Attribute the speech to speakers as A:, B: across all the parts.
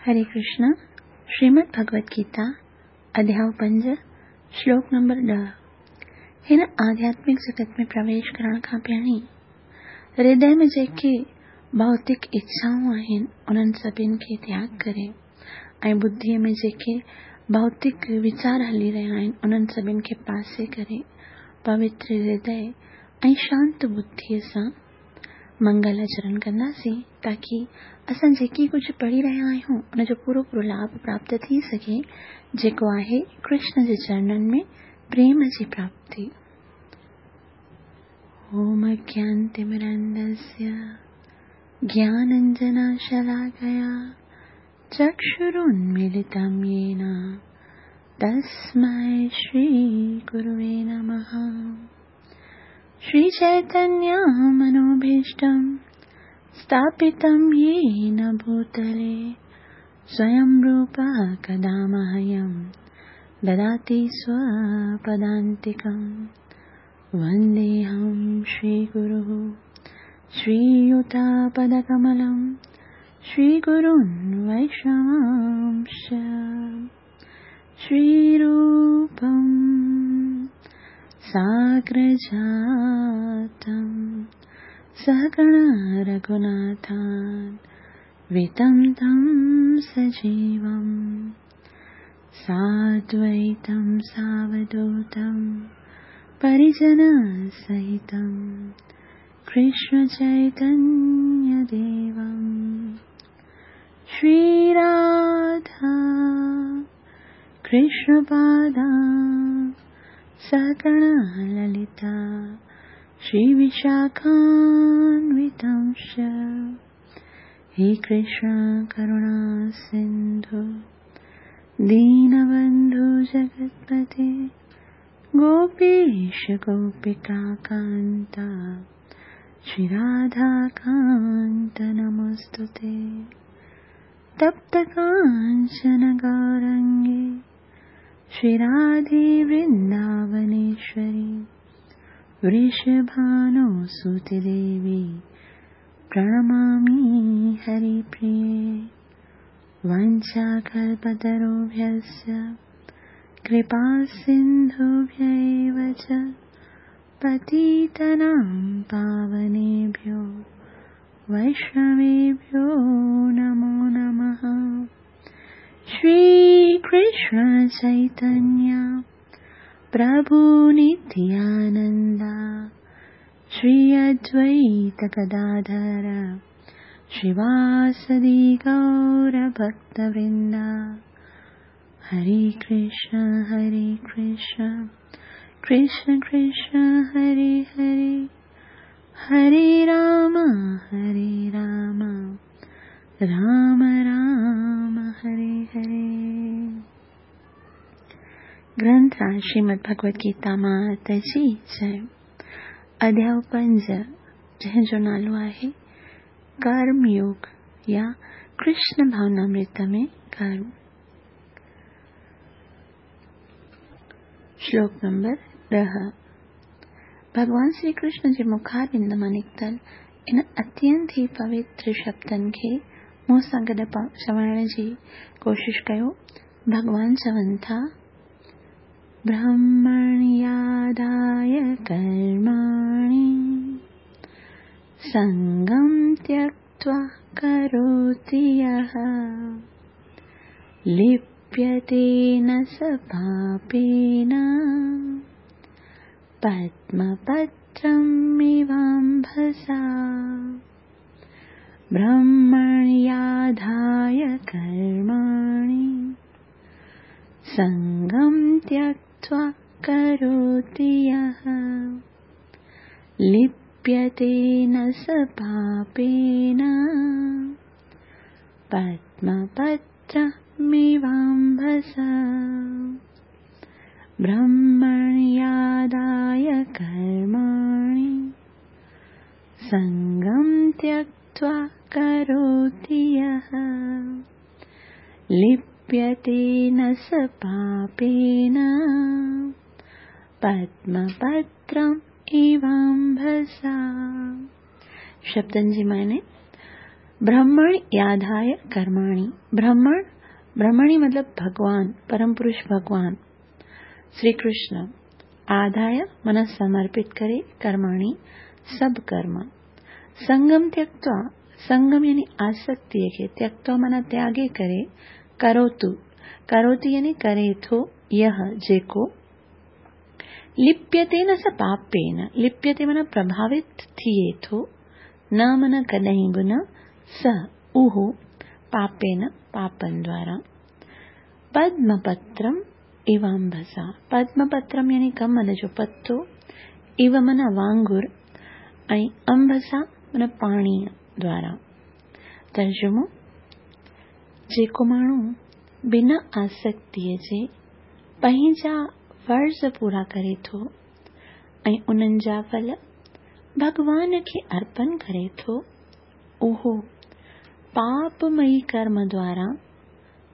A: हरे कृष्ण, श्रीमद भगवत गीता, अध्याय पंज, श्लोक नंबर ॾह। हिन आध्यात्मिक जगत में प्रवेश करण खां पहिरीं हृदय में जेके भौतिक इच्छाऊं आहिनि, उन्हनि सभिनी खे त्याग करे ऐं बुद्धिअ में जेके भौतिक वीचार हली रहिया आहिनि, उन्हनि सभिनी खे पासे करे पवित्र हृदय ऐं शांत बुद्धिअ सां मंगल आचरण कंदासीं, ताकी असां जेकी कुझु पढ़ी रहिया आहियूं उनजो पूरो पूरो लाभ प्राप्त थी सघे, जेको आहे कृष्ण जे चरणनि में प्रेम जी प्राप्ति। ओम अज्ञानतिमिरान्धस्य ज्ञानाञ्जनशलाकया चक्षुरुन्मीलितं येन तस्मै श्रीगुरुवे नमः। श्रीचैतन्यमनोभीष्टं स्थापितं येन भूतले स्वयं रूपः कदा मह्यं ददाति स्वपदान्तिकं। वन्देऽहं श्रीगुरुः श्रीयुतापदकमलं श्रीगुरून् वैष्णवांश्च। श्रीरूपं साग्रजातं सहगण रघुनाथान्वितं तं सजीवं साद्वैतं सावधूतं परिजनसहितं कृष्णचैतन्यदेवं। श्रीराधा कृष्णपादा सहगण ललिता श्रीविशाखान्वितंश्च। हे कृष्ण करुणा सिन्धु दीनबन्धु जगत्पते गोपीश गोपिका कान्ता श्रीराधाकान्त नमोऽस्तुते। तप्त काञ्चन गौरङ्गे श्रीराधे वृन्दावनेश्वरी वृषभानुसुते देवी प्रणमामि हरिप्रिये। वाञ्छाकल्पतरुभ्यश्च कृपासिन्धुभ्य एव च पतितानां पावनेभ्यो वैष्णवेभ्यो नमो नमः। श्रीकृष्ण चैतन्य प्रभु नित्यानन्द श्री अद्वैत गदाधर श्रीवासदि गौरभक्तवृन्द। हरे कृष्ण कृष्ण कृष्ण हरे हरे, हरे राम राम राम हरे हरे। ग्रंथ श्रीमद् भगवत गीता माता जी जय। अध्याय पंज, जंहिंजो नालो आहे कर्म योग या कृष्ण भावनामृत में कर्म। श्लोक नंबर ॾह। भॻवान श्री कृष्ण जे मुखारबिंद मां निकितल इन अत्यंत ई पवित्र शब्दनि खे मूं सां गॾु चवण जी कोशिश कयो। भॻवान चवनि था, ब्रह्मण्यादाय कर्माणि संगं त्यक्त्वा करोति यः लिप्यते न स पापेन पद्मपत्रमिवाम्भसा। ब्रह्मण्याधाय कर्माणि संगं त्यक्त्वा करोति यः लिप्यते न स पापेन पद्मपत्रमिवाम्भसा। ब्रह्मण्यादाय कर्माणि संगं त्यक्त्वा करोति यः लिप्यते न स पापेन पद्मपत्रम् इवाम्भसा। शब्दनि जी माने برهمڻ ياڌايه ڪرماڻي، برهمڻ، برهمڻي مطلب ڀڳوان، پرم پرش ڀڳوان، شري ڪرشن، آڌايه معنيٰ سمرپت ڪري، ڪرماڻي سڀ ڪرم، سنگم تيڪتوا، سنگم يعني آسڪتيء کي، تيڪتوا معنيٰ تياڳي ڪري، ڪروتو، ڪروتي يعني ڪري ٿو، يه جيڪو، لپيتي نه س پاپين، لپيتي معنيٰ پرڀاوت ٿئي ٿو، نه معنيٰ ڪڏهن به نه، س اهو، پاپين پاپن دوارا. پدمپترم ايوامڀسا، پدمپترم يعني ڪمل جو پتو، ايو معنيٰ وانگر ۽ امڀسا معنيٰ پاڻيء دوارا. ترجمو، جيڪو ماڻهو بنا آسڪتيء جي پنهنجا فرض پورا ڪري ٿو ۽ انهن جا ڦل ڀڳوان کي ارپن ڪري ٿو، اهو پاپمئي ڪرم دوارا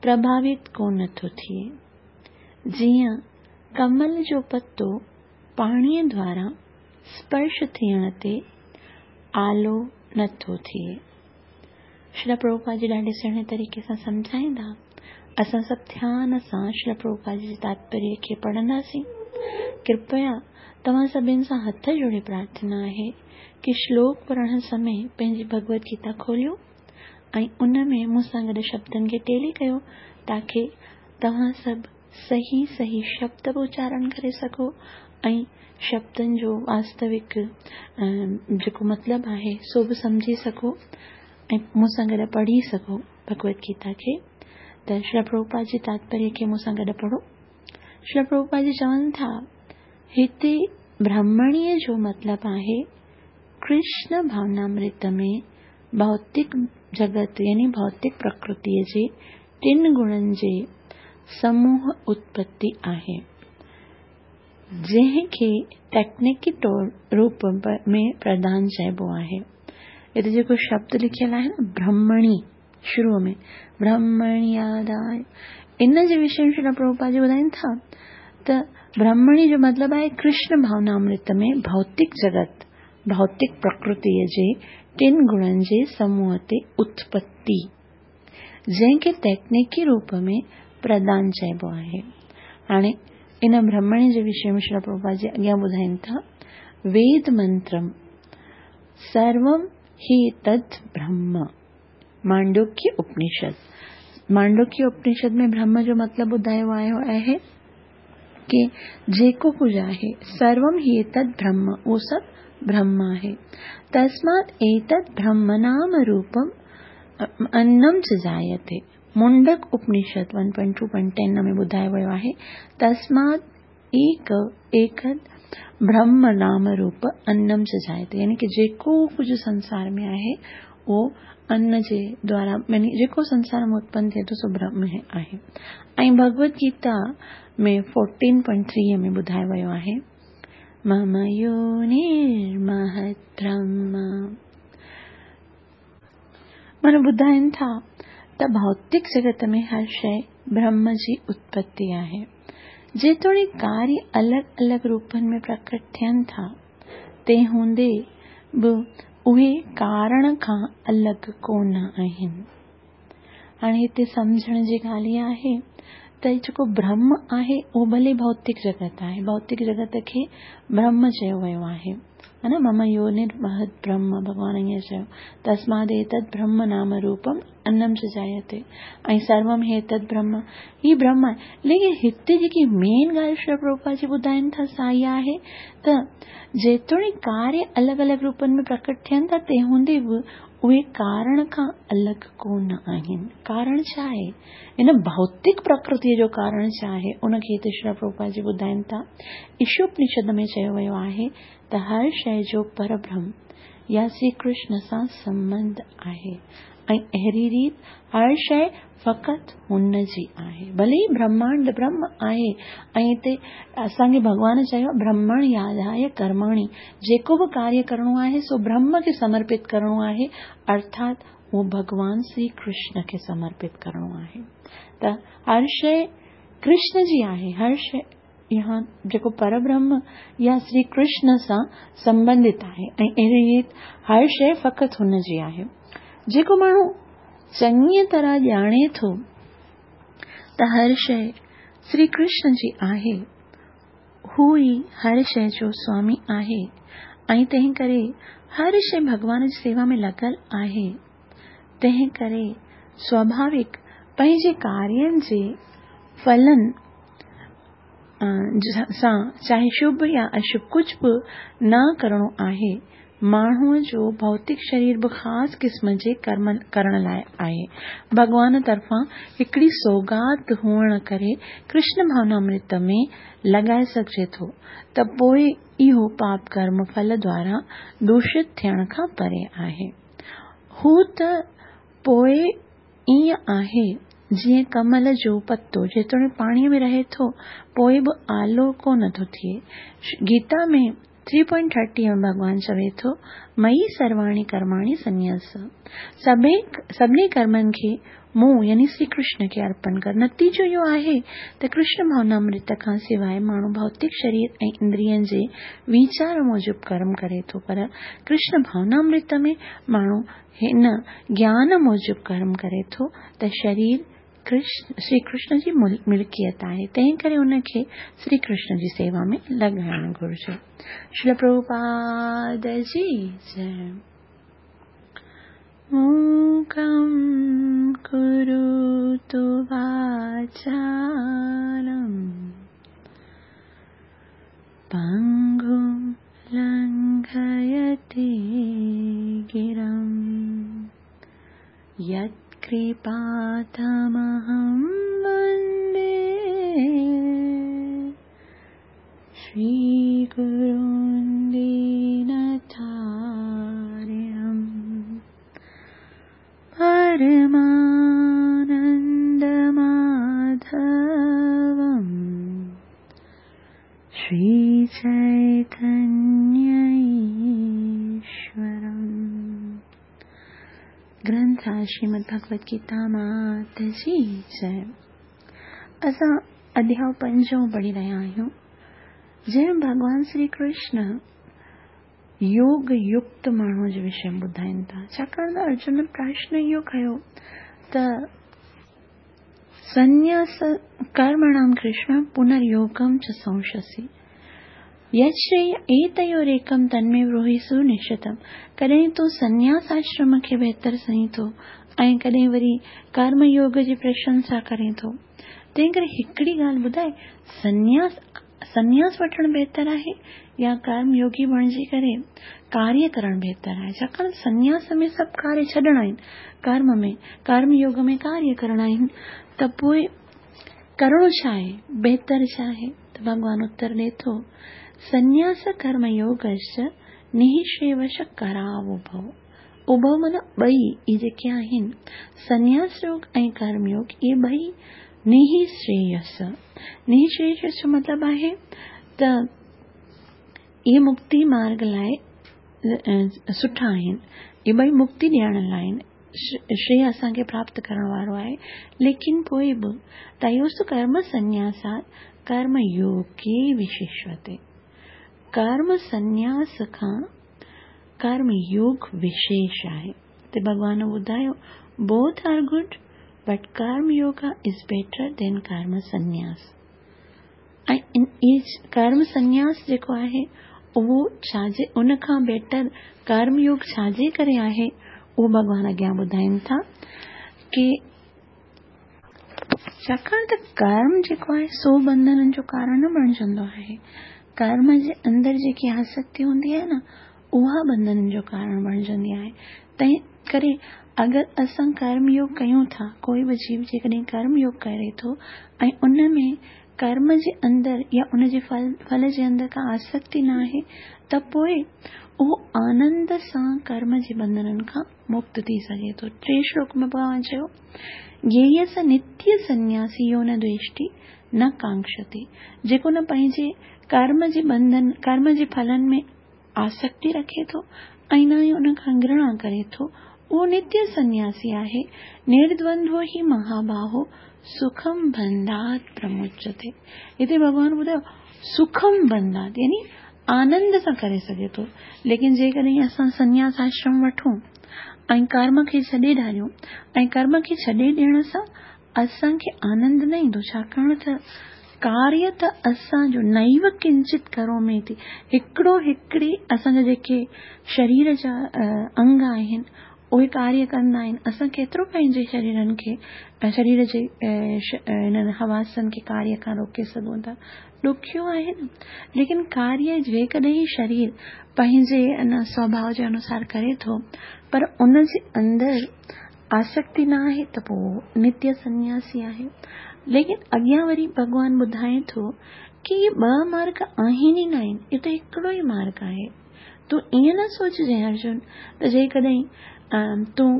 A: پرڀاوت ڪونه ٿو ٿئي. جيئن ڪمل جو پتو پاڻيء دوارا سپرش ٿيڻ تي آلو نه ٿو ٿئي. شريلا پرڀوپاد جي ڏاڍي سهڻي طريقي سان سمجهائيندا. اسان سڀ ڌيان سان شريلا پرڀوپاد جي تاتپريه کي پڙهنداسين. ڪرپيا توهان سڀن سان هٿ جوڙي پرارٿنا آهي ڪي شلوڪ پڙهڻ سمي پنهنجي ڀڳوت گيتا کوليو ۽ ان ۾ مون سان گڏ شبدن کي ٽيلي ڪيو تاڪي توهان سڀ صحيح صحيح شبد به اچارڻ ڪري سگهو ۽ شبدن جو واستوڪ جيڪو مطلب آهي سو به سمجهي سگهو ۽ مون سان گڏ پڙهي سگهو ڀڳوت گيتا کي. ته شريلا پرڀوپاد جي تاتپريه کي مون سان گڏ پڙهو. شريلا پرڀوپاد جي چون ٿا، هتي برهمڻيء جو مطلب آهي ڪرشن ڀاونامرت ۾ ڀوتڪ جڳت يعني ڀوتڪ پرڪرتيء جي ٽن گڻن جي سموهه اتپتي آهي، جنهن کي ٽيڪنيڪي روپ ۾ پرڌان چئبو آهي. هتي جيڪو شبد لکيل آهي نه برهمڻي شروع ۾ برهمڻياداء ان جي وشي ۾ شريلا پرڀوپاد جي ٻڌائين ٿا ته برهمڻي جو مطلب آهي ڪرشن ڀاونامرت ۾ ڀوتڪ جڳت، ڀوتڪ پرڪرتيء جي ٽن گڻن جي سموهه تي اتپتي، جنهن کي تيڪنيڪي روپ ۾ پردان چئبو آهي. هاڻي ان برهمڻي جي وشي ۾ شريلا پرڀوپاد جي اڳيان ٻڌائين ٿا، ويد منترم سروم هي تد برهم، مانڊوڪيه اپنشد، مانڊوڪيه اپنشد ۾ برهم جو مطلب ٻڌايو آيو آهي ڪي جيڪو ڪجهه آهي سروم هي تد برهم، اهو سڀ برهم آهي. تسمات ايتد برهم نام روپم انم چ جايتي، منڊڪ اپنشد 1.2.10 ۾ ٻڌايو ويو آهي، تسمات ايڪ ايڪد برهم نام روپ انم چ جايتي، يعني ڪي جيڪو ڪجهه سنسار ۾ آهي اهو ان جي دوارا يعني جيڪو سنسار ۾ اتپن ٿئي ٿو سو برهم آهي. ۽ ڀڳوت گيتا ۾ 14.3 ۾ ٻڌايو ويو آهي، مم يونيرمهت برهم. معنيٰ ٻڌائين ٿا ته ڀوتڪ جڳت ۾ هر شيء برهم جي اتپتي آهي. جيتوڻيڪ ڪاريه الڳ الڳ روپن ۾ پرڪٽ ٿين ٿا، تنهن هوندي به اهي ڪارڻ کان الڳ ڪونه آهن. هاڻي هتي سمجهڻ جي ڳالهه اها آهي ته جيڪو برهم آهي اهو ڀلي ڀوتڪ جڳت آهي، ڀوتڪ جڳت کي برهم چيو ويو آهي، ها نه، مم يونرمهت برهم، ڀڳوان ائين چيو، تسماد ايتد برهم نام روپم انم چ جايتي ۽ سروم هيتد برهم، هي برهم آهي. ليڪن هتي جيڪي مين ڳالهه شريلا پرڀوپاد جي ٻڌائين ٿا سا اها آهي ته جيتوڻيڪ ڪاريه الڳ الڳ روپن ۾ پرڪٽ ٿين ٿا، تنهن هوندي به اهي ڪارڻ کان الڳ ڪونه آهن. ڪارڻ ڇا آهي؟ ان ڀوتڪ پرڪرتيء جو ڪارڻ ڇا آهي؟ ان کي هتي شريلا پرڀوپاد جي ٻڌائين ٿا. ايشوپنشد ۾ چيو ويو آهي ته هر شيء جو پربرهم يا شري ڪرشن سان سنٻنڌ آهي ۽ اهڙي ريت هر شيء فقط هن جي آهي. ڀلي ئي برهمانڊ برهم آهي ۽ هتي اسان کي ڀڳوان چيو آهي برهمڻ ياڌايه ڪرماڻي، جيڪو به ڪاريه ڪرڻو آهي سو برهم کي سمرپت ڪرڻو آهي، ارٿات اهو ڀڳوان شري ڪرشن کي سمرپت ڪرڻو آهي. ته هر شيء ڪرشن جي آهي، هر شيء يا جيڪو پربرهم يا شري ڪرشن سان سنٻنڌت آهي ۽ اهڙي ريت هر شيء فقط هن جي آهي. جيڪو ماڻهو چڱيء طرح ڄاڻي ٿو ته هر شيء شري ڪرشن جي آهي، هو ئي هر شيء جو سوامي آهي ۽ تنهن ڪري هر شيء ڀڳوان جي سيوا ۾ لڳل آهي، تنهن ڪري سواڀاوڪ پنهنجي ڪارين جي ڦلن سان چاهي شڀ يا اشڀ ڪجهه به نه ڪرڻو آهي. ماڻهوء جو ڀوتڪ شرير به خاص قسم جي ڪرم ڪرڻ لاء آهي. ڀڳوان طرفان هڪڙي سوغات هئڻ ڪري ڪرشن ڀاونامرت ۾ لڳائي سگهجي ٿو ته پوء اهو پاپ ڪرم ڦل دوارا دوشت ٿيڻ کان پري آهي. هو ته پوء ائين آهي جيئن ڪمل جو پتو جيتوڻيڪ پاڻيء ۾ رهي ٿو پوء به آلو ڪونه ٿو ٿئي. گيتا ۾ ٿري پوائنٽ ٿرٽي ۾ ڀڳوان چوي ٿو، مئي سرواڻي ڪرماڻي سنيس. سڀني ڪرمن کي مون يعني شري ڪرشن کي ارپڻ ڪر. نتيجو اهو آهي ته ڪرشن ڀاونامرت کان سواء ماڻهو ڀوتڪ شرير ۽ اندرين جي ويچار موجب ڪرم ڪري ٿو پر ڪرشن ڀاونامرت ۾ ماڻهو هن گيان موجب ڪرم ڪري ٿو ته شرير شري ڪرشن جي ملڪيت آهي، تنهن ڪري ان کي شري ڪرشن جي سيوا ۾ لڳائڻ گهرجي. شريل پرڀوپاد جي جئه. موڪم ڪروتو واچالم پنگم لنگهيتي گرم يتڪرپا تمهم وندي شري گرون دينتارڻم پرمانند ماڌوم شري چيتنيه ايشورم. گرنٿ آهي شريمد ڀڳوت گيتا مات جي جئه. اسان اڌياء پنجون پڙهي رهيا آهيون جنهن ۾ ڀڳوان شري ڪرشن يوگ يڪت ماڻهوء جي وشي ۾ ٻڌائين ٿا ڇاڪاڻ ته ارجن پرشن اهو ڪيو ته سنياس ڪرمڻام ڪرشن پنريوگم چ سنشسي يتشريي ايتيوريڪم تنمي بروهي سنشچتم ڪڏهن تون سنياس آشرم کي بهتر سمجهين ٿو ۽ ڪڏهن وري ڪرم يوگ جي پرشنسا ڪرين ٿو تنهن ڪري هڪڙي ڳالهه ٻڌاء سنياس سنياس وٺڻ بهتر آهي يا ڪرم يوگي بڻجي ڪري ڪاريه ڪرڻ بهتر آهي ڇاڪاڻ ته سنياس ۾ سڀ ڪاريه ڇڏڻا آهن ڪرم ۾ ڪرم يوگ ۾ ڪاريه ڪرڻا آهن ته پوء ڪرڻو ڇا آهي بهتر ڇا آهي ته ڀڳوان اتر ڏي ٿو سنياس ڪرم يوگش نهشيوش ڪراوڀو اڀو معنيٰ ٻئي اهي جيڪي آهن سنياس يوگ ۽ ڪرم يوگ اهي ٻئي نهشريس نهشريس جو مطلب آهي ته اهي مڪتي مارگ لاء سٺا آهن اهي ٻئي مڪتي ڏيڻ لاء آهن شريه اسان کي پراپت ڪرڻ وارو آهي ليڪن پوء به تيوس ڪرم سنياسات ڪرم يوگي وشيشوتي ڪرم سنياس کان ڪرم يوگ وشيش آهي ته ڀڳوان ٻڌايو both are good but karma yoga is better than karma sannyas ۽ karma sannyas جيڪو آهي اهو ڇا جي ان کان بيٽر ڪرم يوگ ڇا جي ڪري آهي اهو ڀڳوان اڳيان ٻڌائين ٿا ڪي ڇاڪاڻ ته ڪرم جيڪو آهي سو بنڌنن جو ڪارڻ نه بڻجندو آهي. ڪرم جي اندر جيڪي آسڪتي هوندي آهي نه اها بنڌنن جو ڪارڻ بڻجندي آهي. تنهن ڪري اگر اسان ڪرم يوگ ڪيون ٿا، ڪوئي به جيو جيڪڏهن ڪرم يوگ ڪري ٿو ۽ ان ۾ ڪرم جي اندر يا ان جي ڦل جي اندر ڪا آسڪتي نه آهي ته پوء اهو آنند سان ڪرم جي بنڌنن کان مڪت ٿي سگهي ٿو. ٽئين شلوڪ ۾ ڀڳوان چيو، گيهي س نتيه سنياسي يو نه دويشٽي نه ڪانڪشتي، جيڪو نه پنهنجي ڪرم جي ٻنڌن، ڪرم جي ڦلن ۾ آسڪتي رکي ٿو ۽ نه ئي ان کان گهرڻا ڪري ٿو، اهو نتيه سنياسي آهي، نردوندو هي مهاباهو سکم بنڌات پرموچتي. هتي ڀڳوان ٻڌايو سکم بنڌات يعني آنند سان ڪري سگهي ٿو. ليڪن جيڪڏهن اسان سنياس آشرم وٺون ۽ ڪرم کي ڇڏي ڏياريون ۽ ڪرم کي ڇڏي ڏيڻ سان اسان کي آنند نه ايندو ڇاڪاڻ ته ڪاريه ته اسان جو نيو ڪنچت ڪرومي ٿي هڪڙو هڪڙي اسان جا جيڪي شرير جا انگ آهن اهي ڪاريه ڪندا آهن اسان ڪيترو پنهنجي شريرن کي شرير جي انهن حواسن کي ڪاريه کان روڪي سگهون ٿا ڏکيو آهي نه ليڪن ڪاريه جيڪڏهن شرير پنهنجي ان سوڀاء جي انوسار ڪري ٿو پر ان جي اندر آسڪتي نه آهي ته پوء نتيه سنياسي آهي ليڪن اڳيان وري ڀڳوان ٻڌائي ٿو ڪي اهي ٻه مارگ آهن ئي نه آهن اهو ته هڪڙو ئي مارگ آهي تون ائين نه سوچجين ارجن ته جيڪڏهن تون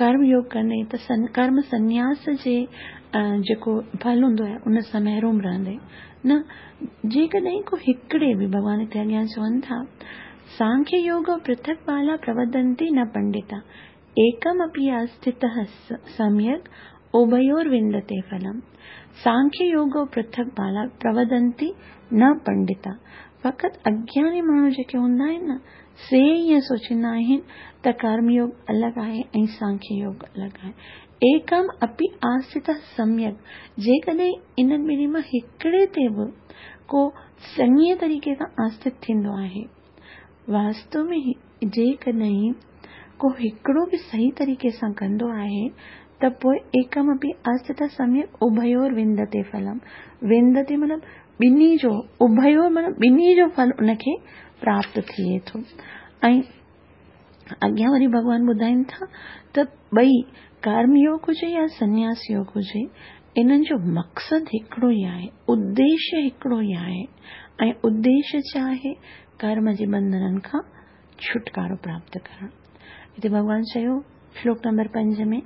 A: ڪرم يوگ ڪندين ته ڪرم سنياس جي جيڪو ڦل هوندو آهي ان سان محروم رهندين نه جيڪڏهن ڪو هڪڙي به ڀڳوان هتي اڳيان چون ٿا سانکيه يوگ پرٿڪ بالا پروڌنتي نه پنڊتا ايڪم اپي آسٿته سميڪ اڀيور وندتي ڦلم. سانکيه يوگ پرٿڪ بالا پروڌنتي نه پنڊتا. فقط اگياني ماڻهو جيڪي هوندا آهن نه سي ائين سوچيندا آهن ته ڪرم يوگ الڳ آهي ۽ سانکيه يوگ الڳ آهي. ايڪم اپي آسٿته سميڪ جيڪڏهن انهن ٻنهي مان هڪڙي تي به ڪو چڱي طريقي سان آسٿت ٿيندو آهي. واستو ۾ جيڪڏهن ڪو هڪڙو به صحيح طريقي سان ڪندو آهي ته پوء ايڪم اپي آسٿته سميڪ اڀيور وندتي ڦلم وندتي مطلب ٻنهي جو اڀيور مطلب ٻنهي جو ڦل ان کي پراپت ٿئي ٿو ۽ اڳيان وري ڀڳوان ٻڌائين ٿا ته ٻئي ڪرم يوگ هجي يا سنياس يوگ هجي انهن جو مقصد هڪڙو ئي آهي اديشيه هڪڙو ئي آهي ۽ اديشيه ڇا آهي ڪرم جي بنڌنن کان ڇوٽڪارو پراپت ڪرڻ. هتي ڀڳوان چيو، شلوڪ نمبر 5 ۾،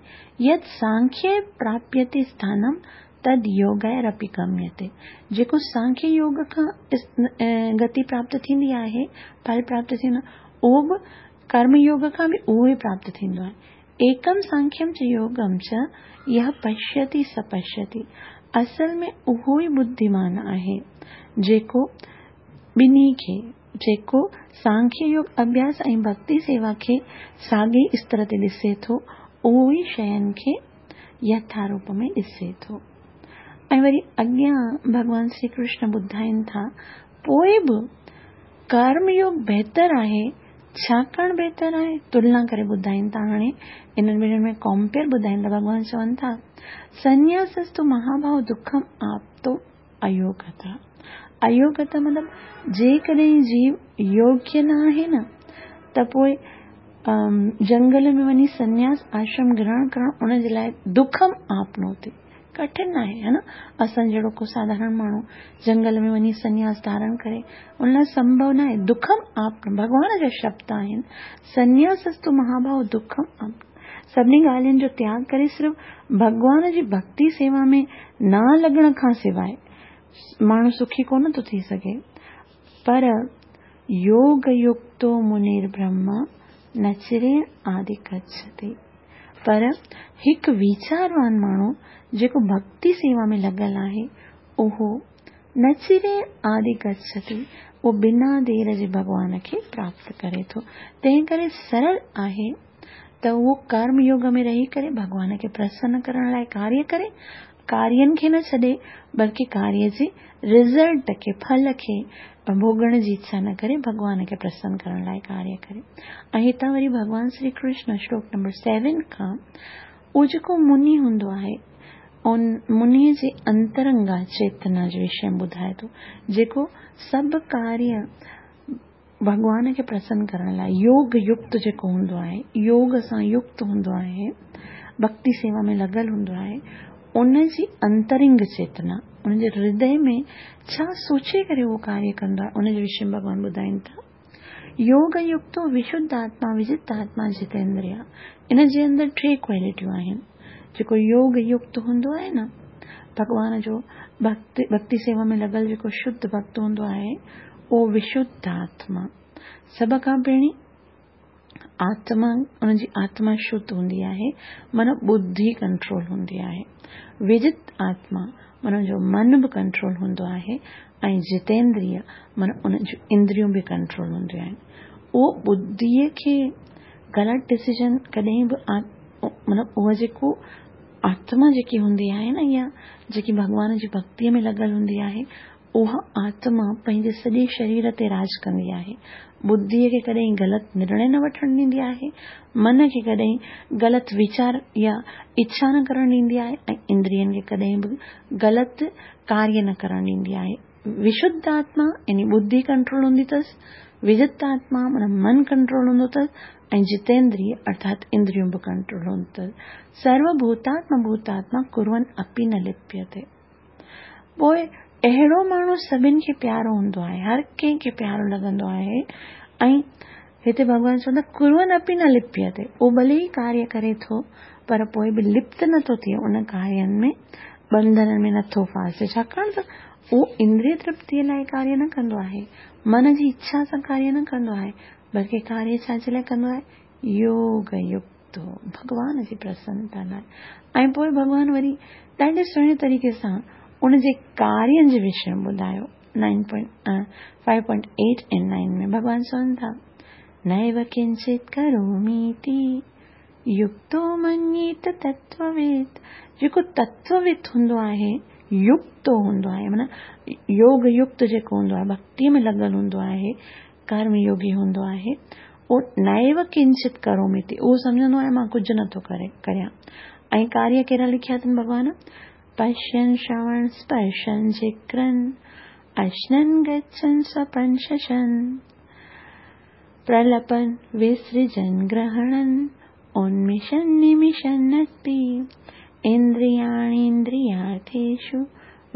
A: يت سانکيه پراپيتي اسٿانم تد يوگيرپي گميتي. جيڪو سانکيه يوگ کان گتي پراپت ٿيندي آهي، ڦل پراپت ٿيندو آهي، اهو به ڪرم يوگ کان به اهو ئي پراپت ٿيندو آهي. ايڪم سانکيم چ يوگم چ يھ پشيتي س پشيتي. اصل ۾ اهو ئي ٻڌيمان آهي، جيڪو ٻنهي کي، جيڪو سانکيه يوگ اڀياس ۽ ڀڳتي سيوا کي ساڳئي استر تي ڏسي ٿو، اهو ئي شين کي يٿا روپ ۾ ڏسي ٿو. ۽ وري اڳيان ڀڳوان شري ڪرشن ٻڌائين ٿا، پوء به ڪرم يوگ بهتر آهي، ڇاڪاڻ بهتر آهي؟ تلنا ڪري ٻڌائين ٿا هاڻي انهن ٻنهي ۾ ڪمپيئر ٻڌائين ٿا ڀڳوان چون ٿا، سنياسستو مهاڀاو دکم آپتو ايوگتا، ايوگتا مطلب جيڪڏهن جيو يوگيه نه آهي نه ته پوء جنگل ۾ وڃي سنياس آشرم گرهڻ ڪرڻ ان جي لاء دکم آپنوتي ڪٺن آهي ها نه اسان جهڙو ڪو ساڌارڻ ماڻهو جنگل ۾ وڃي سنياس ڌارڻ ڪري ان لاء سمڀو نه آهي دکم آپنو ڀڳوان جا شبد آهن سنياسستو مهاڀاو دکم آپنو سڀني ڳالهين جو تياڳ ڪري صرف ڀڳوان جي ڀڳتي سيوا ۾ نه لڳڻ کان سواء ماڻهو سکي ڪونه ٿو ٿي سگهي. پر يوگ يڪتو منير برهما نه چرين آدي گڇتي. پر هڪ ويچاروان ماڻهو جيڪو ڀڳتي سيوا ۾ لڳل آهي اهو نه چرين آدي گڇتي اهو بنا دير جي ڀڳوان کي پراپت ڪري ٿو. تنهن ڪري سرل آهي ته اهو ڪرم يوگ ۾ رهي ڪري ڀڳوان کي پرسن ڪرڻ لاء ڪاريه ڪري، ڪارين کي نه ڇڏي، بلڪه ڪاريه جي رزلٽ کي، ڦل کي، ڀوڳڻ جي اڇا نه ڪري، ڀڳوان کي پرسن ڪرڻ لاء ڪاريه ڪري. ۽ هتان وري ڀڳوان شري ڪرشن شلوڪ نمبر سيون کان اهو جيڪو مني هوندو آهي، ان مني جي انترنگا چيتنا جي وشي ۾ ٻڌائي ٿو، جيڪو سڀ ڪاريه ڀڳوان کي پرسن ڪرڻ لاء يوگ يڪت جيڪو هوندو آهي، يوگ سان يڪت هوندو آهي، ڀڳتي سيوا ۾ لڳل هوندو آهي، ان جي انترنگ چيتنا، ان جي هردي ۾ ڇا سوچي ڪري اهو ڪاريه ڪندو آهي، ان جي وشي ۾ ڀڳوان ٻڌائين ٿا. يوگ يڪتو وشڌ آتما وجت آتما جتيندريا، ان جي اندر ٽي ڪوالٽيون آهن. جيڪو يوگ يڪت هوندو آهي نه، ڀڳوان جو ڀڳتي سيوا ۾ لڳل جيڪو شڌ ڀڳت هوندو آهي، اهو وشڌ آتما، سڀ کان پهرين آتما، ان جي آتما شڌ هوندي آهي، معنيٰ ٻڌي ڪنٽرول هوندي آهي. وجت آتما، معنيٰ ان جو من به ڪنٽرول هوندو آهي ۽ جتيندريه، معنيٰ ان جون اندريون به ڪنٽرول هونديون آهن. اهو ٻڌيء کي غلط ڊسيزن ڪڏهن به مطلب اها جيڪو آتما جيڪي هوندي آهي نه يا جيڪي ڀڳوان جي ڀڳتيء ۾ لڳل هوندي آهي، اها آتما پنهنجي سڄي شرير تي راڄ ڪندي آهي. ٻڌيء کي ڪڏهن غلط نرڻي نه وٺڻ ڏيندي آهي، من کي ڪڏهن غلط ويچار يا اڇا نه ڪرڻ ڏيندي آهي ۽ اندرين کي ڪڏهن به غلط ڪاريه نه ڪرڻ ڏيندي آهي. وشڌ آتما يعني ٻڌي ڪنٽرول هوندي اٿس، وجت آتما معنيٰ من ڪنٽرول هوندو اٿس ۽ جتيندريه ارٿات اندريون به ڪنٽرول هوندو اٿس. سرو ڀوتاتما ڀوتاتما ڪرون اپي نه لپيتي. پوء اهڙو ماڻهو سڀن کي پيارو هوندو آهي، هر ڪنهن کي پيارو لڳندو آهي ۽ هتي ڀڳوان چون ٿا ڪرون اپي نه لپيتي، اهو ڀلي ئي ڪاريه ڪري ٿو پر پوء به لپت نٿو ٿئي، ان ڪارين ۾ ٻنڌنن ۾ نٿو ڦاسي، ڇاڪاڻ ته اهو اندريه ترپتيء لاء ڪاريه نه ڪندو آهي، من جي اڇا سان ڪاريه نه ڪندو آهي، بلڪه ڪاريه ڇا جي لاء ڪندو آهي؟ يوگ يڪت ڀڳوان جي پرسنتا لاء. ۽ پوء ڀڳوان وري ڏاڍي سهڻي طريقي سان ان جي ڪارين جي وشي ۾ ٻڌايو. 9.5.8 ۽ 9 ۾ ڀڳوان چون ٿا، نيو ڪنچت ڪروميتي يڪتو مڃيت تتووت، جيڪو تتووت هوندو آهي، يڪتو هوندو آهي، معنيٰ يوگ يڪت جيڪو هوندو آهي، ڀڳتيء ۾ لڳل هوندو آهي، ڪرم يوگي هوندو آهي، اهو نيو ڪنچت ڪروميتي، اهو سمجهندو آهي مان ڪجهه نٿو ڪري ڪريان. ۽ ڪاريه ڪهڙا لکيا اٿن ڀڳوان؟ پشين شروڻ سپرشن جگرن، اشنن گڇن سپن ششن. پرلپن وسرجن گرهڻن، اونميشن نميشن اپي، اندرياڻيندريارٿيشو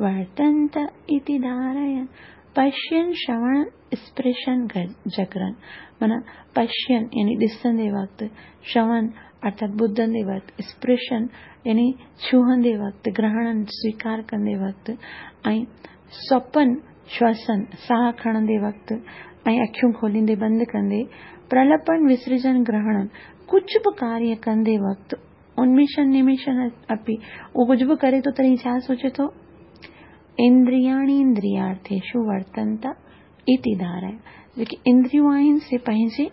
A: ورتنت اتي ڌارين، پشين شروڻ اسپرشن جگرن معنيٰ پشين يعني ڏسندي وقت، شروڻ ارٿات ٻڌندي وقت، اسپرشن يعني ڇهندي وقت، گرهڻن سويڪار ڪندي وقت ۽ سوپن شواسن، ساهه کڻندي وقت ۽ اکيون کوليندي بند ڪندي، پرلپن وسرجن گرهڻن، ڪجهه به ڪاريه ڪندي وقت، انميشن نميشن اپي، اهو ڪجهه به ڪري ٿو تڏهن ڇا سوچي ٿو؟ اندرياڻي اندريارٿيشو ورتنت اتي ڌارئي، جيڪي اندريون آهن سي پنهنجي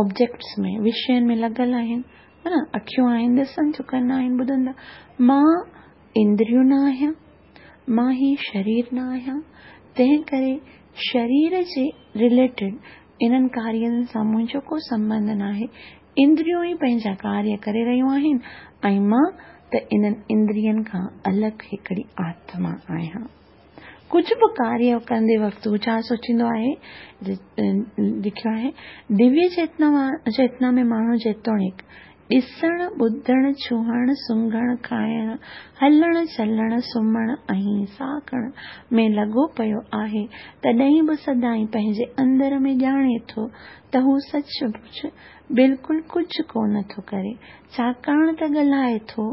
A: آبجيڪٽس ۾، وشين ۾ لڳل آهن، ها نه، اکيون آهن ڏسن ٿيون، ڪن آهن ٻڌن ٿا، مان اندريون نه آهيان، مان هي شرير نه آهيان، تنهن ڪري شرير جي رليٽيڊ انهن ڪارين سان منهنجو ڪو سنٻنڌ ناهي، اندريون ئي پنهنجا ڪاريه ڪري رهيون آهن ۽ مان ته انهن اندرين کان الڳ هڪڙي آتما آهيان. ڪجهه به ڪاريه ڪندي وقت هو ڇا سوچيندو آهي؟ لکيو آهي، دويه چيتنا ۾ ماڻهو جيتوڻيڪ ڏسڻ، ٻڌڻ، ڇهڻ، سونگهڻ، کائڻ، هلڻ، چلڻ، سمهڻ ۽ ساهه کڻڻ ۾ لڳو پيو آهي، تڏهن به سدائين پنهنجي اندر ۾ ڄاڻي ٿو ته هو سچ پچ بلڪل ڪجهه ڪونه ٿو ڪري، ڇاڪاڻ ته ڳالهائي ٿو،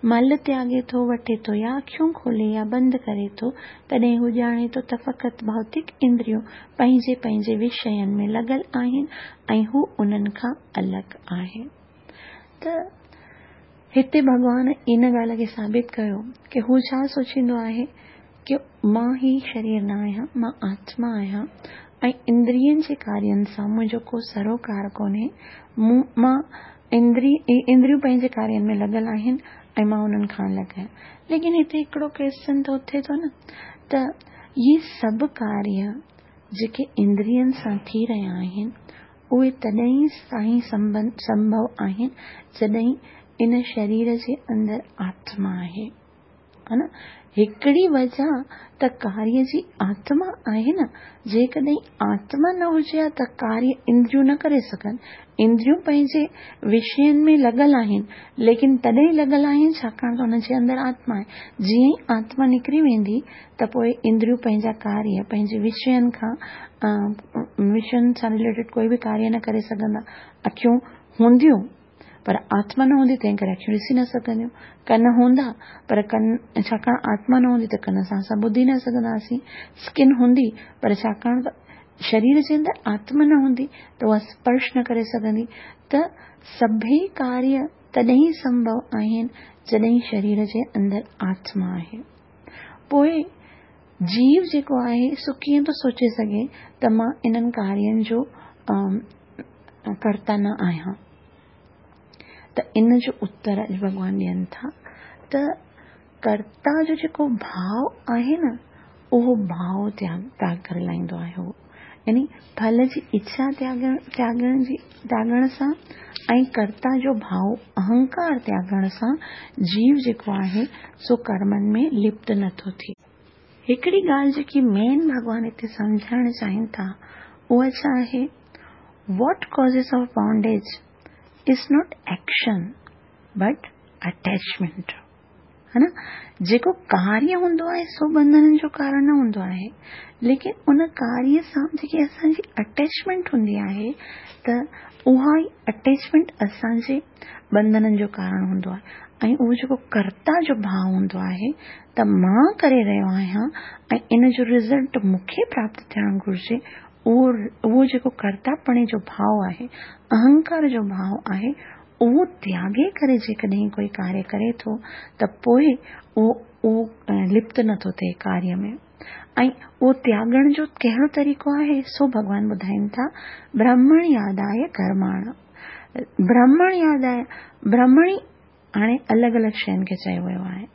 A: مل تياڳي ٿو، وٺي ٿو يا اکيون کولي يا بند ڪري ٿو، تڏهن هو ڄاڻي ٿو ته فقط ڀوتڪ اندريون پنهنجي پنهنجي وشين ۾ لڳل آهن ۽ هو انهن کان الڳ آهي. ته هتي ڀڳوان ان ڳالهه کي ثابت ڪيو ڪه هو ڇا سوچيندو آهي ڪه مان هي شرير نه آهيان، مان آتما آهيان ۽ اندرين جي ڪارين سان منهنجو ڪو سروڪار ڪونهي، مون مان اندري اندريون پنهنجي ڪارين ۾ لڳل آهن ۽ مان انهن کان الڳ آهيان. ليڪن هتي هڪڙو ڪويسچن ته اٿي ٿو نه ته هي سڀ ڪاريه جيڪي اندرين سان ٿي رهيا آهن اهي تڏهن ئي سنڀو آهن جڏهن ان شرير جي اندر آتما آهي. ها نه؟ هڪڙي وجه ته ڪاريه جي آتما آهي نه، جيڪڏهن آتما نه هجي ها ته ڪاريه اندريون نه ڪري سگهن. اندريون پنهنجي وشين ۾ لڳل آهن، ليڪن تڏهن لڳل آهن ڇاڪاڻ ته انهن جي اندر آتما آهي. جيئن ئي آتما نڪري ويندي ته پوء اندريون پنهنجا ڪاريه پنهنجي وشين کان وشين سان رليٽيڊ ڪوئي به ڪاريه نه ڪري سگهندا. اکيون هونديون پر آتما نه هوندي تنهن ڪري اکيون ڏسي نه سگهنديون. ڪن هوندا پر ڪن ڇاڪاڻ آتما نه هوندي ته ڪن سان اسان ٻڌي نه سگهنداسين. اسڪن هوندي پر ڇاڪاڻ ته شرير جي اندر آتما نه هوندي ته اها اسپرش نه ڪري سگهندي ته سڀئي ڪاريه تڏهن ئي سنڀو آهن جڏهن شرير جي اندر آتما آهي. پوء جيو جيڪو آهي سو ڪيئن ٿو سوچي سگهي ته مان انهن ڪارين جو ڪرتا نه آهيان؟ ته ان جو اتر اڄ ڀڳوان ڏين ٿا ته ڪرتا جو جيڪو ڀاء آهي نه، اهو ڀاء تياڳ تياڳ ڪري لاهيندو آهي اهو. يعني ڦل جي اڇا تياڳڻ تياڳڻ جي تياڳڻ سان ۽ ڪرتا جو ڀاء اهنڪار تياڳڻ سان جيو جيڪو آهي سو ڪرمن ۾ لپت نٿو ٿئي. هڪڙي ڳالهه جيڪي مين ڀڳوان هتي سمجهائڻ چاهين ٿا اها ڇا آهي؟ What causes of bondage is not action but attachment. ها نه جيڪو ڪاريه هوندو آهي سو ٻنڌنن جو ڪارڻ نه هوندو آهي ليڪن ان ڪاريه سان جيڪي اسان جي اٽيچمينٽ هوندي آهي ته اها ئي اٽيچمينٽ اسان جي ٻنڌنن جو ڪارڻ هوندو آهي ۽ اهو جيڪو ڪرتا جو ڀاء هوندو آهي ته مان ڪري رهيو آهيان ۽ ان جو رزلٽ مون کي پراپت ٿيڻ گهرجي اهو اهو جيڪو ڪرتاپڻي جو ڀاء آهي اهنڪار جو ڀاء آهي اهو تياڳي ڪري جيڪڏهن ڪوئي ڪاريه ڪري ٿو ته پوء اهو اهو لپت نه ٿو ٿئي ڪاريه ۾. ۽ اهو تياڳڻ جو ڪهڙو طريقو آهي سو ڀڳوان ٻڌائين ٿا، برهمڻيادايه ڪرماڻ. برهمڻيادايه، برهمڻي هاڻي الڳ الڳ شين کي چيو ويو آهي.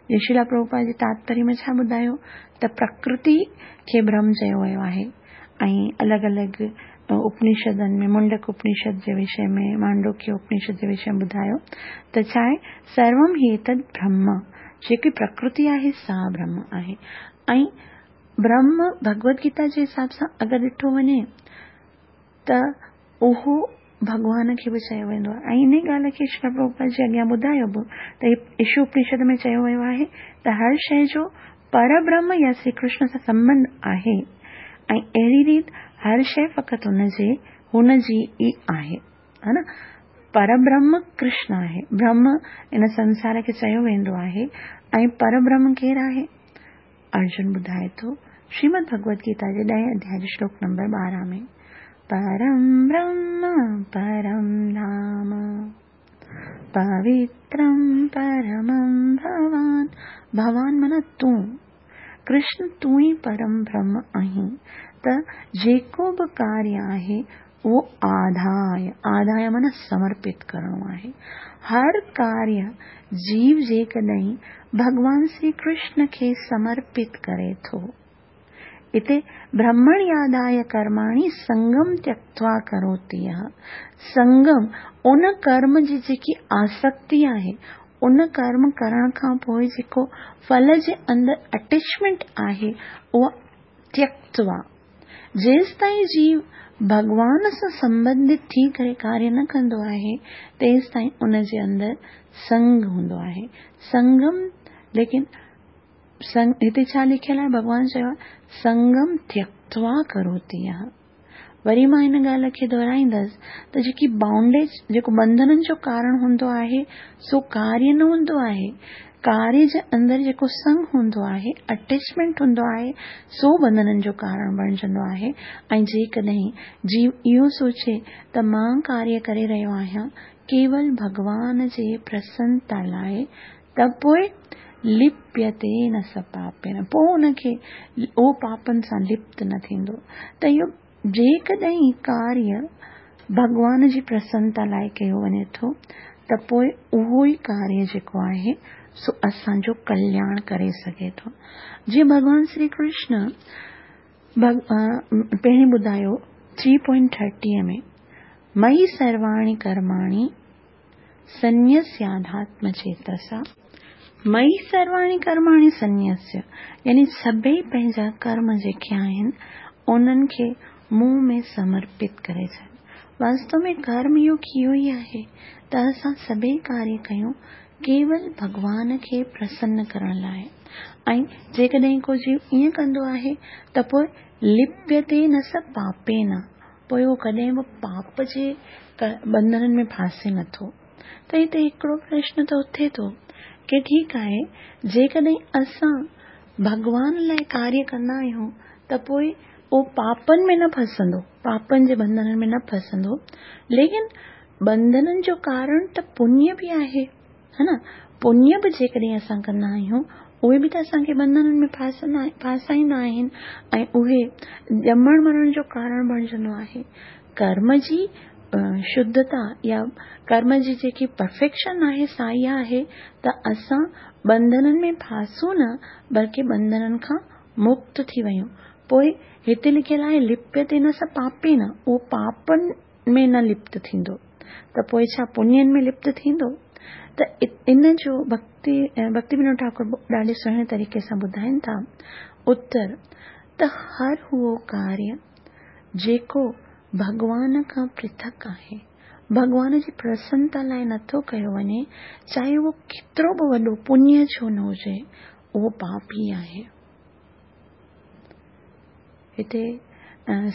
A: جيئن شريلا پرڀوپاد جي تاتپريه ۾ ڇا ٻڌايو ته پرڪرتي کي برهم چيو ويو آهي ۽ الڳ الڳ اپنشدن ۾ منڊڪ اپنشد جي وشي ۾ مانڊوڪيه اپنشد جي وشي ۾ ٻڌايو ته ڇا آهي سروم هيتد برهم جيڪي پرڪرتي آهي سا برهم آهي ۽ برهم ڀڳوت گيتا جي حساب سان اگر ڏٺو وڃي ته اهو ڀڳوان کي به چيو ويندو آهي ۽ انهي ڳالهه کي شريلا پرڀوپاد جي اڳيان ٻڌايو به ته هي ايشو اپنشد ۾ چيو ويو آهي ته هر شيء جو پربرهم يا شري ڪرشن سان سنٻنڌ آهي ۽ اهڙي ريت هر شيء فقط هن جي هن جي ئي آهي ها نه پربرهم ڪرشن آهي برهم ان سنسار کي چيو ويندو آهي ۽ پربرهم ڪير آهي ارجن ٻڌائي ٿو، شريمد ڀڳوت گيتا جي ڏهين اڌياء جي شلوڪ نمبر 12 ۾، پرم برهم پرم ڌام، پوترم پرمم ڀوان، ڀوان معنيٰ تون، ڪرشن تون ئي پرم برهم آهين، ته جيڪو به ڪاريه آهي اهو آڌاء، آڌاء معنيٰ سمرپت ڪرڻو آهي. هر ڪاريه جيو جيڪڏهن ڀڳوان شري ڪرشن کي سمرپت ڪري ٿو. اتي برهمڻياداء ڪرماڻي سنگم تيڪتوا ڪروتي يهه سنگم ان ڪرم جي جيڪي آسڪتي آهي، ان ڪرم ڪرڻ کان پوء جيڪو ڦل جي اندر اٽيچمينٽ آهي اها تيڪتوا جيستائين جيو ڀڳوان سان سنٻنڌت ٿي ڪري ڪاريه نه ڪندو آهي، تيستائين ان جي اندر سنگ هوندو آهي. سنگم ليڪن سنگ هتي ڇا لکيل آهي؟ ڀڳوان چيو آهي سنگم تيڪتوا ڪروتي يهه. وري مان هن ڳالهه کي دهرائيندس ته جيڪي بائونڊيج جيڪو ٻنڌنن جو ڪارڻ هوندو آهي سو ڪاريه نه هوندو آهي. ڪاريه جي اندر جيڪو سنگ هوندو آهي، اٽيچمينٽ هوندو آهي، سو ٻنڌنن جو ڪارڻ بڻجندو آهي ۽ جيڪڏهن جيو اهو سوچي ته مان ڪاريه ڪري رهيو آهيان ڪيول ڀڳوان جي پرسنتا لاء ته پوء لپيتي نه س پاپين پوء ان کي اهو پاپن سان لپت نه ٿيندو ته اهو جيڪڏهن ڪاريه ڀڳوان جي پرسنتا لاء ڪيو وڃي ٿو ته پوء اهو ئي ڪاريه جيڪو آهي سو اسان جو ڪلياڻ ڪري سگهي ٿو. جيئن ڀڳوان شري ڪرشن پهرين ٻڌايو ٿري پوائنٽ ٿرٽي ۾ مئي سرواڻي ڪرماڻي سنيسياڌاتم چيتسا، مئي سرواڻي ڪرماڻي سنيسيا يعني سڀئي پنهنجا ڪرم جيڪي آهن انهن کي مون ۾ سمرپت ڪري ڇڏ. واستو ۾ ڪرم يوگ اهو ئي آهي ته اسان سڀئي ڪاريه ڪيون ڪيول ڀڳوان کي پرسن ڪرڻ لاء ۽ جيڪڏهن ڪو جيو ائين ڪندو آهي ته پوء لپيتي نه س پاپين پوء اهو ڪڏهن به پاپ جي ٻنڌنن ۾ ڦاسي نه ٿو. ته هتي هڪڙو پرشن ته اٿي ٿو ڪي ٺيڪ آهي جيڪڏهن اسان ڀڳوان لاء ڪاريه ڪندا آهيون ته پوء اهو پاپن ۾ نه ڦسندو، پاپن جي ٻنڌنن ۾ نه ڦسندو، ليڪن ٻنڌنن جو ڪارڻ ته پڃ به آهي. ها نه؟ پڃ به جيڪڏهن اسان ڪندا آهيون، اهي به ته اسان کي ٻنڌنن ۾ ڦاسائيندا آهن ۽ اهي ڄمڻ مرڻ جو ڪارڻ بڻجندو آهي. ڪرم جي شڌتا يا ڪرم جي جيڪي پرفيڪشن آهي سا اها آهي ته اسان ٻنڌنن ۾ ڦاسون نه بلڪه ٻنڌنن کان مڪت ٿي وڃون. پوء هتي لکيل آهي لپيتي نه س پاپين، اهو پاپن ۾ نه لپت ٿيندو ته پوء ڇا پڃين ۾ لپت ٿيندو؟ ته ان جو ڀڪتي ڀڪتي ونود ٺاڪر ڏاڍي سهڻي طريقي سان ٻڌائين ٿا. اتر، ته هر اهو ڪاريه جيڪو ڀڳوان کان پرٿڪ آهي، ڀڳوان جي پرسنتا لاء نٿو ڪيو وڃي، چاهي اهو ڪيترو به وڏو پڃ ڇو نه هجي، اهو پاپ ئي آهي. هتي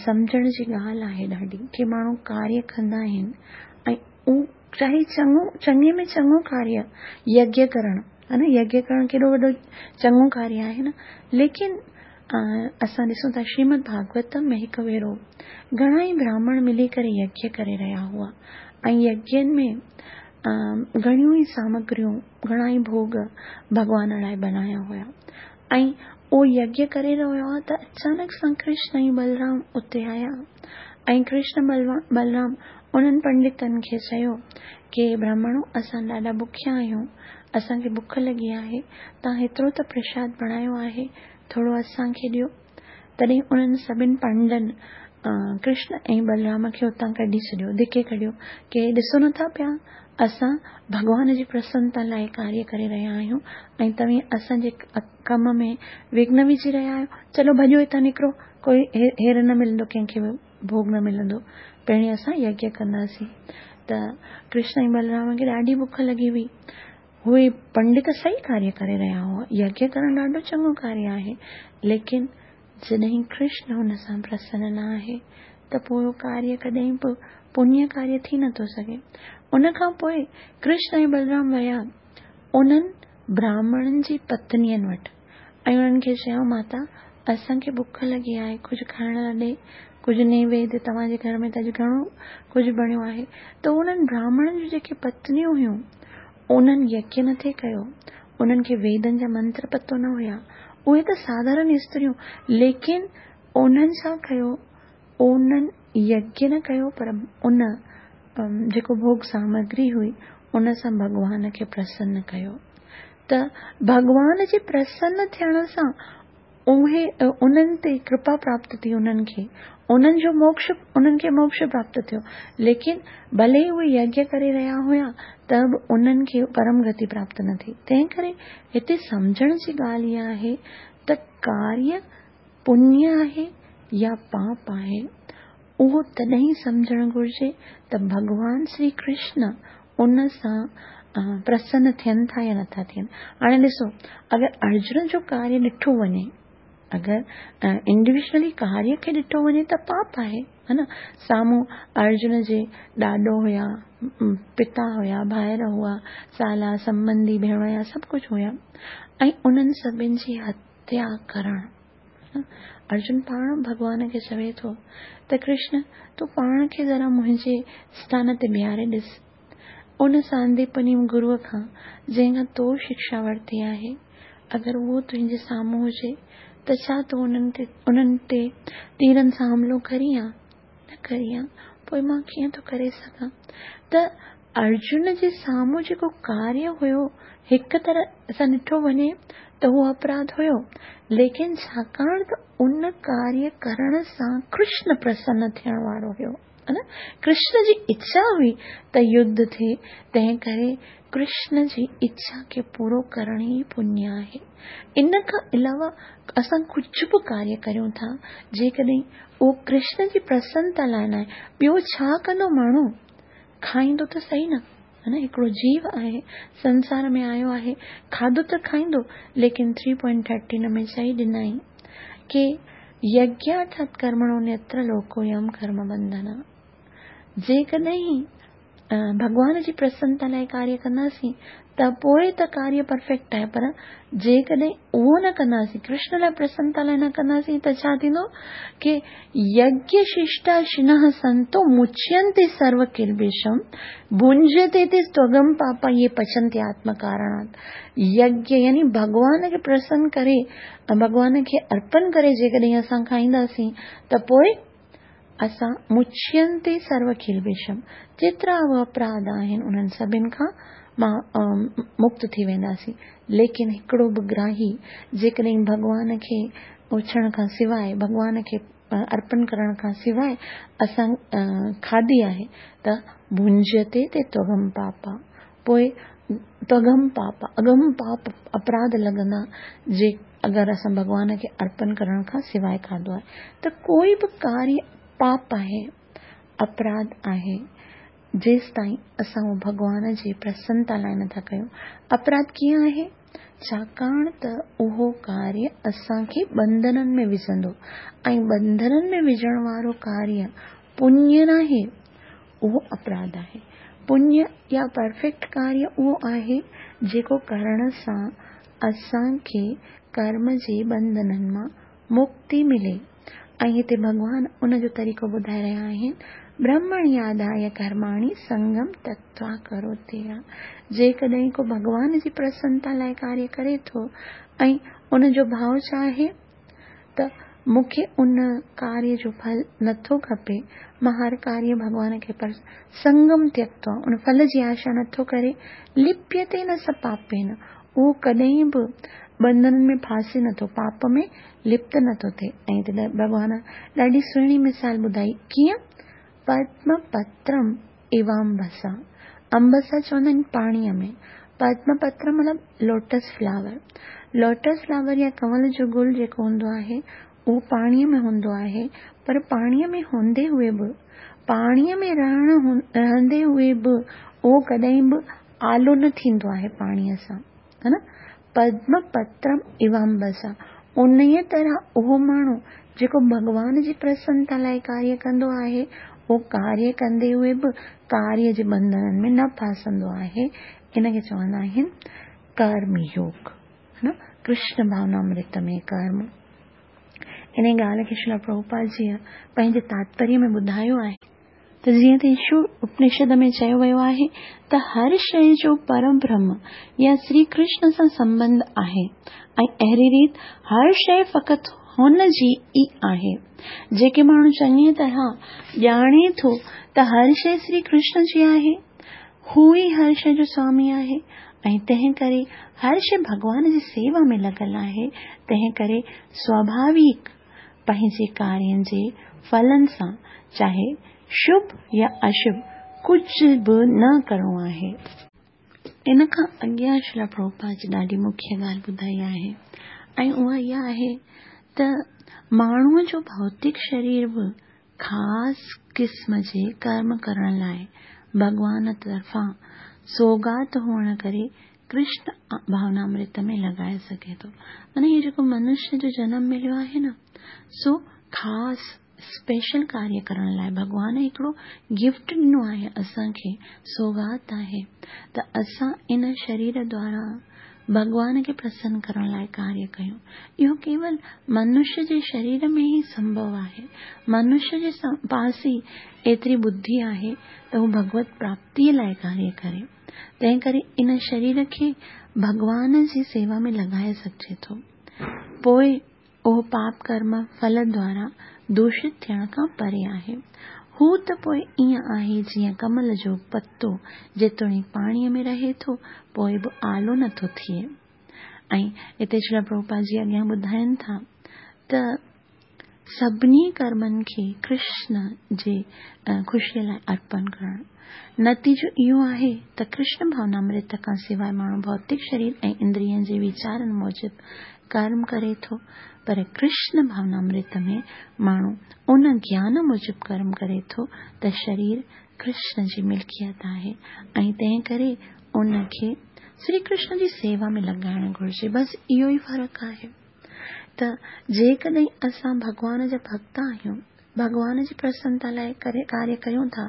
A: سمجهڻ جي ڳالهه آهي ڏاڍي ڪي ماڻهو ڪاريه ڪندا آهن ۽ اهو چاهي چڱو چڱي ۾ چڱو ڪاريه يگيه ڪرڻ ها نه يگيه ڪرڻ ڪيڏو وڏو چڱو ڪاريه آهي نه ليڪن اسان ڏسون ٿا شريمد ڀاڳوتم ۾ هڪ ڀيرو گهڻا ئي براهمڻ ملي ڪري يگيه ڪري رهيا هئا ۽ يگين ۾ گهڻيون ئي سامگريون گهڻا ئي ڀوڳ ڀڳوان لاء بنايا هيا ۽ اهو يگيه ڪري رهيو هو ته اچانڪ سان ڪرشن ۽ بلرام اتي آيا ۽ ڪرشن بلرام انهن پنڊتن کي چيو ڪي برهمڻو اسان ڏاڍا بکيا آهيون اسان کي بک لڳي آهي توهان هيترو ته پرشاد بڻايو آهي ٿورو اسان کي ڏيو تڏهن انهن سڀن پنڊن ڪرشن ۽ بلرام کي اتان ڪڍي ڇڏيو، ڌڪي ڪڍيو ڪي ڏسو نٿا پيا اسان ڀڳوان جي پرسنتا لاء ڪاريه ڪري رهيا آهيون ۽ توهين اسان جي ڪم ۾ وگهن وجهي رهيا آهيو، چلو ڀڄو هتان نڪرو، ڪوئي هير نه ملندو ڪنهن کي به ڀوڳ نه ملندو، پهرين اسان يگيه ڪنداسين. ته ڪرشن ۽ بلرام کي ڏاڍي بک لڳي هئي. اهي پنڊت صحيح ڪاريه ڪري رهيا هئا، يگيه ڪرڻ ڏاڍو چڱو ڪاريه آهي، ليڪن جڏهن ڪرشن هن سان پرسن نه آهي ته پوء اهو ڪاريه ڪڏهن به پڃيه ڪاريه ٿي نٿو سگهي. ان کان پوء ڪرشن ۽ بلرام ويا انهن براهمڻن جي پتنين وٽ ۽ انهن کي چيائون ماتا اسان کي بک لڳي آهي ڪجهه کائڻ لاء ڏي، ڪجهه نيويد توهان جي گهر ۾ ته اڄ گهڻو ڪجهه بڻيو آهي ته انهن براهمڻن جون جيڪي پتنيون هيون انهن يگيه نه ٿي ڪيو، انهن کي ويدن جا منتر پتو نه هيا، اهي ته ساڌارن استريون، ليڪن انهن ڇا ڪيو، انهن يگيه نه ڪيو پر ان جيڪو ڀوڳ سامگري هئي ان سان ڀڳوان کي پرسن ڪيو ته ڀڳوان جي پرسن ٿيڻ سان اهي انهن تي ڪرپا پراپت ٿي انهن کي انهن جو موڪش انهن کي موڪش پراپت ٿيو ليڪن ڀلي اهي يگيه ڪري رهيا هيا ته به انهن کي پرم گتي پراپت نه ٿي تنهن ڪري هتي سمجهڻ جي ڳالهه اها آهي ته ڪاريه پڃ آهي يا پاپ آهي اهو تڏهن ئي سمجهڻ گهرجي ته ڀڳوان شري ڪرشن ان سان پرسن ٿين ٿا يا نٿا ٿين. هاڻي ڏسو اگر ارجن جو ڪاريه ڏٺو وڃي، اگر انڊيويجولي ڪاريه کي ڏٺو وڃي ته پاپ آهي ها نه. سامهون ارجن جي ڏاڏو هيا، پتا هيا، ڀائر هئا، سالا، سنٻنڌي، ڀيڻويا سڀ ڪجهه هيا ۽ انهن سڀن جي هتيا ڪرڻ. ارجن پاڻ ڀڳوان کي چوي ٿو ته ڪرشن تون پاڻ کي ذرا منهنجي اسٿان تي بيهاري ڏس. ان سانديپني گروء کان جنهن کان تو شڪشا ورتي آهي، اگر اهو تنهنجي سامهون هجي ته ڇا تون انهن تي تيرن سان حملو ڪرين ها؟ نه ڪرين ها، پوء مان ڪيئن ٿو ڪري سگهان؟ ته ارجن جي سامهون جيڪو ڪاريه هيو، هڪ طرح سان ڏٺو وڃي ته اهو اپراڌ هيو، ليڪن ڇاڪاڻ ته ان ڪاريه ڪرڻ سان ڪرشن پرسن ٿيڻ وارو هيو، ڪرشن جي اڇا هئي ته يڌ ٿئي، تنهن ڪري ڪرشن جي اڇا کي پورو ڪرڻ ئي پڃ آهي. ان کان علاوه اسان ڪجهه به ڪاريه ڪريون ٿا، جيڪڏهن اهو ڪرشن جي پرسنتا لاء ناهي، ٻيو ڇا ڪندو ماڻهو؟ کائيندو ته سهي نه، ها نه، هڪڙو جيو آهي، سنسار ۾ آيو آهي، کاڌو ته کائيندو، ليڪن ٿري پوائنٽ ٿرٽين ۾ چئي ڏنائين ڪي يگيارٿات ڪرمڻو نيتر لوڪويم ڪرم بنڌن. جيڪڏهن ڀڳوان جي پرسنتا لاء ڪاريه ڪنداسين ته پوء ته ڪاريه پرفيڪٽ آهي پر جيڪڏهن اهو نه ڪنداسين، ڪرشن لاء پرسنتا لاء نه ڪنداسين ته ڇا ٿيندو ڪي يگيه ششٽا شنه سنتو مچينتي سرو ڪلبشم ڀنجتي تي ستوگم پاپا يي پچنتي آتم ڪارڻات. يگيه يعني ڀڳوان کي پرسن ڪري ڀڳوان کي ارپن ڪري جيڪڏهن اسان کائينداسين ته پوء اسان مچينتي سرو ڪلبشم، جيترا به اپراڌ آهن انهن سڀن کان مان مڪت ٿي وينداسين. ليڪن هڪڙو به گراهي جيڪڏهن ڀڳوان کي اڇڻ کان سواء، ڀڳوان کي ارپڻ ڪرڻ کان سواء اسان کاڌي آهي ته ڀنجتي تي تغم پاپا، پوء تغم پاپا، اگم پاپ اپراڌ لڳندا جي اگر اسان ڀڳوان کي ارپڻ ڪرڻ کان سواء کاڌو آهي ته ڪوئي به ڪاريه پاپ آهي، اپراڌ آهي، جيستائين اسان اهو ڀڳوان جي پرسنتا لاء نٿا ڪيون. اپراڌ ڪيئن آهي؟ ڇاڪاڻ ته اهو ڪاريه اسان کي ٻنڌنن ۾ وجهندو ۽ ٻنڌنن ۾ وجهڻ وارو ڪاريه پڃ ناهي، اهو اپراڌ آهي. پڃ يا پرفيڪٽ ڪاريه اهو آهي جيڪو ڪرڻ سان اسان کي ڪرم جي ٻنڌنن مان مڪتي ملي ۽ هتي ڀڳوان ان جو طريقو ٻڌائي رهيا آهن، برهمڻياڌايه ڪرماڻي سنگم تڪتوا ڪروتي يا جيڪڏهن ڪو ڀڳوان جي پرسنتا لاء ڪاريه ڪري ٿو ۽ ان جو ڀاء ڇا آهي ته مون کي ان ڪاريه جو ڦل نٿو کپي، مان هر ڪاريه ڀڳوان کي پر سنگم تيڪتوا ان ڦل جي آشا نٿو ڪري، لپيتي نه س پاپين اهو ڪڏهن به ٻنڌنن ۾ ڦاسي نٿو، پاپ ۾ لپت نٿو ٿئي. ۽ هتي ڀڳوان ڏاڍي سهڻي مثال ٻڌائي، ڪيئن؟ پدم پترم ايوامبسا، امبسا چوندا آهن پاڻيء ۾، پدم پتر مطلب لوٽس فلاور، لوٽس فلاور يا ڪنول جو گل جيڪو هوندو آهي، اهو پاڻيء ۾ هوندو آهي، پر پاڻيء ۾ هوندي هوئي به، پاڻيء ۾ رهڻ رهندي هوئي به اهو ڪڏهن به آلو نه ٿيندو آهي پاڻيء سان، ها نه؟ پدم پترم ايوامبسا، انهيء طرح اهو ماڻهو جيڪو ڀڳوان جي پرسنتا لاء ڪاريه ڪندو آهي، اهو ڪاريه ڪندي هوئي به ڪاريه جي ٻنڌنن ۾ نه ڦاسندو آهي، ان کي چوندا آهن ڪرم يوگ، ها نه؟ ڪرشن ڀاونامرت ۾ ڪرم. انهيء ڳالهه کي شريلا پرڀوپاد جيء پنهنجي تاتپريه ۾ ٻڌايو آهي. ته جيئن ته ايشو اپنشد ۾ چيو ويو آهي ته هر شيء جو پربرهم يا سري ڪرشن سان سنٻنڌ آهي ۽ اهڙي ريت هر شيء فقط هن جي ئي آهي. جيڪي ماڻهو چڱيء طرح ڄاڻي ٿو ته هر شيء سري ڪرشن جي آهي، هو ئي هر شيء جو سوامي آهي ۽ تنهن ڪري هر شيء ڀڳوان جي سيوا ۾ لڳل آهي، تنهن ڪري سواڀاويڪ پنهنجي ڪارين جي ڦلن سان چاهي شڀ يا اشڀ ڪجهه به نه ڪرڻو آهي. ان کان اڳيان شريلا پرڀوپاد جي ڏاڍي مکيه ڳالهه ٻڌائي آهي ۽ اها اها آهي ته ماڻهوء جو ڀوتڪ شرير به خاص قسم جي ڪرم ڪرڻ لاء ڀڳوان طرفان سوغات هئڻ ڪري ڪرشن ڀاونامرت ۾ لڳائي سگهي ٿو. معنيٰ هي جيڪو منشيء جو جنم مليو آهي نه سو خاص اسپيشل ڪاريه ڪرڻ لاء ڀڳوان هڪڙو گفٽ ڏنو آهي اسان کي، سوغات آهي ته اسان ان شرير دوارا ڀڳوان کي پرسن ڪرڻ لاء ڪاريه ڪيون. اهو ڪيول منشيء جي شرير ۾ ئي سنڀو آهي. منشيء جي پاس ئي ايتري ٻڌي آهي ته هو ڀڳوت پراپتيء لاء ڪاريه ڪري. تنهن ڪري ان شرير کي ڀڳوان جي سيوا ۾ لڳائي سگهجي ٿو. پوء اهو پاپ ڪرم ڦل دوارا دوشت ٿيڻ کان پري آهي. هو ته پوء ائين آهي جيئن ڪمل جو پتو جيتوڻيڪ پاڻيء ۾ رهي ٿو پوء به آلو نه ٿو ٿئي. ۽ هتي شريلا پرڀوپاد جي اڳيان ٻڌائين ٿا ته سڀني ڪرمن کي ڪرشن جي خوشيء لاء ارپڻ ڪرڻ. نتيجو اهو آهي ته ڪرشن ڀاونامرت کان سواء ماڻهو ڀوتڪ شرير ۽ اندرين جي ويچارن موجب ڪرم ڪري ٿو، پر ڪرشن ڀاونامرت ۾ ماڻهو ان گيان موجب ڪرم ڪري ٿو ته شرير ڪرشن جي ملڪيت آهي ۽ تنهن ڪري ان کي سري ڪرشن جي سيوا ۾ لڳائڻ گهرجي. بس اهو ئي فرق آهي. ته جيڪڏهن اسان ڀڳوان جا ڀڳت آهيون، ڀڳوان جي پرسنتا لاء ڪاريه ڪريون ٿا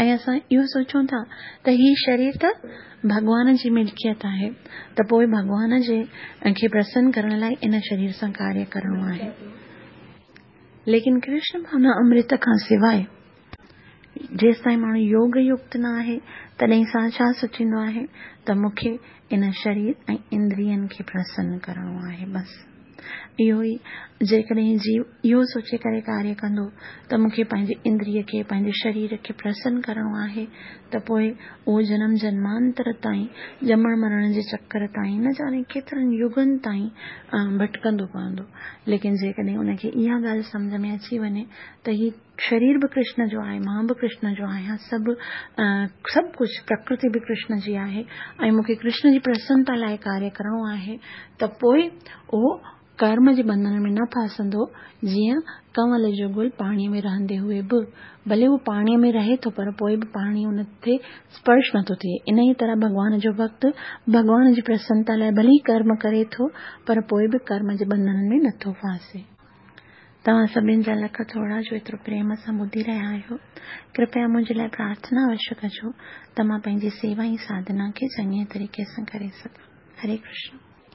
A: ۽ اسان اهو سوچون ٿا ته هي شرير ته ڀڳوان جي ملڪيت آهي ته پوء ڀڳوان جي کي پرسن ڪرڻ لاء ان شرير سان ڪاريه ڪرڻو آهي. ليڪن ڪرشن ڀاونا امرت کان سواء جيستائين ماڻهو يوگ يڪت نه آهي تڏهن سان ڇا سوچيندو آهي ته مون کي ان شرير ۽ اندرين کي پرسن ڪرڻو آهي بس. اهو ئي جيڪڏهن جيو اهو سوچي ڪري ڪاريه ڪندو ته مون کي پنهنجي اندريه کي، پنهنجي شرير کي پرسن ڪرڻو آهي ته پوء اهو جنم جنمانتر تائين، ڄمڻ مرڻ جي چڪر تائين، نه ڄاڻي ڪيترن يگن تائين ڀٽڪندو پوندو. ليڪن جيڪڏهن ان کي اها ڳالهه سمجهه ۾ اچي وڃي ته هي شرير به ڪرشن جو آهي، مان به ڪرشن جو آهيان، سڀ سڀ ڪجهه پرڪرتي به ڪرشن جي آهي ۽ مون کي ڪرشن جي پرسنتا لاء ڪاريه ڪرڻو آهي ته پوء اهو ڪرم جي ٻنڌڻ ۾ نه ڦاسندو، جيئن ڪنول جو گل پاڻيء ۾ رهندي هوئي به ڀلي اهو پاڻيء ۾ رهي ٿو پر پوء به پاڻي ان تي سپرش نٿو ٿئي. انهيء طرح ڀڳوان جو ڀڳت ڀڳوان جي پرسنتا لاء ڀلي ڪرم ڪري ٿو پر پوء به ڪرم جي ٻنڌڻن ۾ نٿو ڦاسي. توهان سڀن جا لک ٿورا جو ايترو پريم سان ٻڌي رهيا آهيو. ڪرپيا منهنجي لاء پرارٿنا اوشيه ڪجو ته مان پنهنجي سيوا ۽ ساڌنا کي چڱي طريقي سان ڪري سگهان. هري ڪرشن.